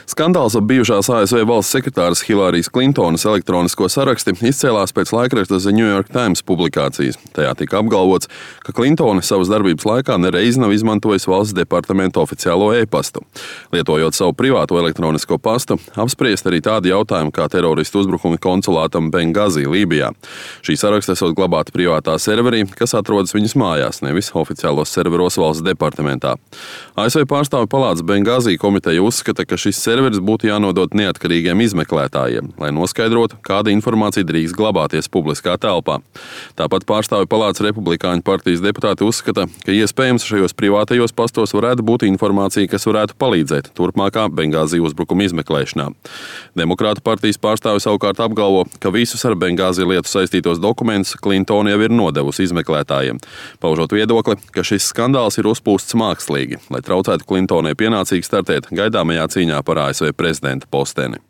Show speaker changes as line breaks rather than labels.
Skandāls ap bijušās ASV valsts sekretāres Hilārijas Klintonas elektronisko saraksti izcēlās pēc laikraksta The New York Times publikācijas. Tajā tika apgalvots, ka Klintone savas darbības laikā nereiz nav izmantojusi valsts departamenta oficiālo e-pastu. Lietojot savu privāto elektronisko pastu, apspriest arī tādi jautājumi kā teroristu uzbrukumi konsulātam Bengāzī, Lībijā. Šī saraksta esot glabāta privātā serverī, kas atrodas viņas mājās, nevis oficiālos serveros valsts departamentā. ASV pārstāvju palātas Bengāzī komiteja uzskata, ka šis serveris būtu jānodot neatkarīgiem izmeklētājiem, lai noskaidrotu, kāda informācija drīkst glabāties publiskā telpā. Tāpat pārstāvju palātas Republikāņu partijas deputāti uzskata, ka iespējams šajos privātajos pastos varētu būt informācija, kas varētu palīdzēt turpmākā Bengāzī uzbrukuma izmeklēšanā. Demokrātu partijas pārstāvji savukārt apgalvo, ka visus ar Bengāzī lietu saistītos dokumentus Klintone jau ir nodevusi izmeklētājiem, paužot viedokli, ka šis skandāls ir uzpūsts mākslīgi, lai traucētu Klintonei pienācīgi startēt gaidāmajā cīņā par ASV prezidenta posteni.